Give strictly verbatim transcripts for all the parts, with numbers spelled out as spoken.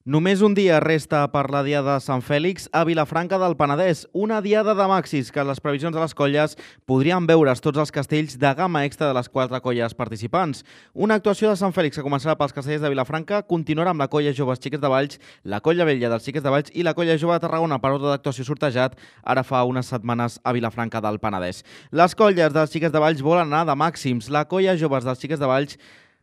Només un dia resta per la Diada de Sant Fèlix a Vilafranca del Penedès, una diada de màxims que les previsions de les colles podrien veure's tots els castells de gamma extra de les quatre colles participants. Una actuació de Sant Fèlix que començarà pels castellers de Vilafranca, continuarà amb la colla Joves Xiquets de Valls, la colla Vella dels Xiquets de Valls i la colla Jove de Tarragona per ordre d'actuació sortejat ara fa unes setmanes a Vilafranca del Penedès. Les colles dels Xiquets de Valls volen anar de màxims. La colla Joves dels Xiquets de Valls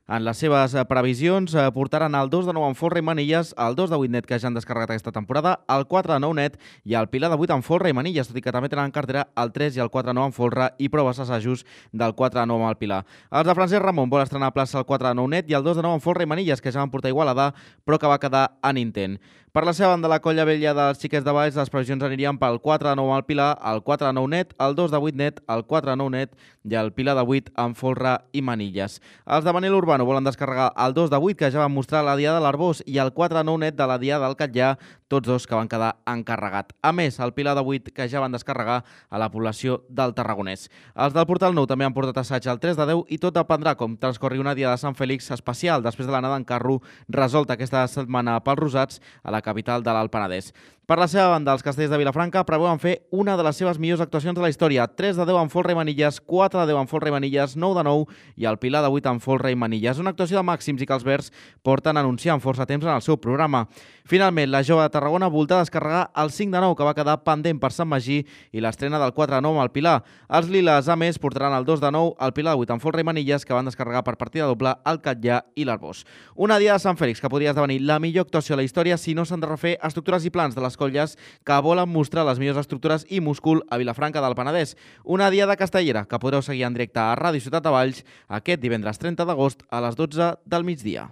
en les seves previsions portaran el dos de nou en folre i manilles, el dos de vuit net que ja han descarregat aquesta temporada, el quatre de nou net i el pilar de vuit en folre i manilles, tot i que també tenen en cartera el tres i el quatre de nou en folre i proves assajos del quatre de nou amb el pilar. Els de Francesc Ramon vol estrenar a plaça el quatre de nou net i el dos de nou en folre i manilles, que ja van portar Igualada, però que va quedar en intent. Per la seva banda, la colla Vella dels Xiquets de Valls, les previsions anirien pel quatre de nou al pilar, el quatre de nou net, el dos de vuit net, el quatre de nou net i el pilar de vuit en folre i manilles. Els de Manel Urbano volen descarregar el dos de vuit, que ja van mostrar la Diada de l'Arbós, i el quatre de nou net de la Diada del Catllà, tots dos que van quedar encarregat. A més, el pilar de vuit que ja van descarregar a la població del Tarragonès. Els del Portal Nou també han portat assaig el tres de deu i tot dependrà com transcorri una Diada de Sant Fèlix especial després de l'anada en carro resolta aquesta setmana pels Rosats a la capital de l'Alt Penedès. Per la seva banda, els castellers de Vilafranca preveuen fer una de les seves millors actuacions de la història. tres de deu en folre i manilles, quatre de deu en folre i manilles, nou de nou i el pilar de vuit en folre i manilles. Una actuació de màxims i que els verds porten anunciant força temps en el seu programa. Finalment, la Jove de Tarragona volta descarregar el cinc de nou, que va quedar pendent per Sant Magí, i l'estrena del quatre de nou amb el pilar. Els liles, a més, portaran el dos de nou, el pilar de vuit en folre i manilles, que van descarregar per partida doble el Catllà i l'Arbós. Una Diada de Sant Fèlix que podria esdevenir la millor actuació de la història si no s'han de refer estructures i plans de les colles que volen mostrar les millors estructures i múscul a Vilafranca del Penedès. Una Diada castellera que podreu seguir en directe a Ràdio Ciutat de Valls aquest divendres trenta d'agost a les dotze del migdia.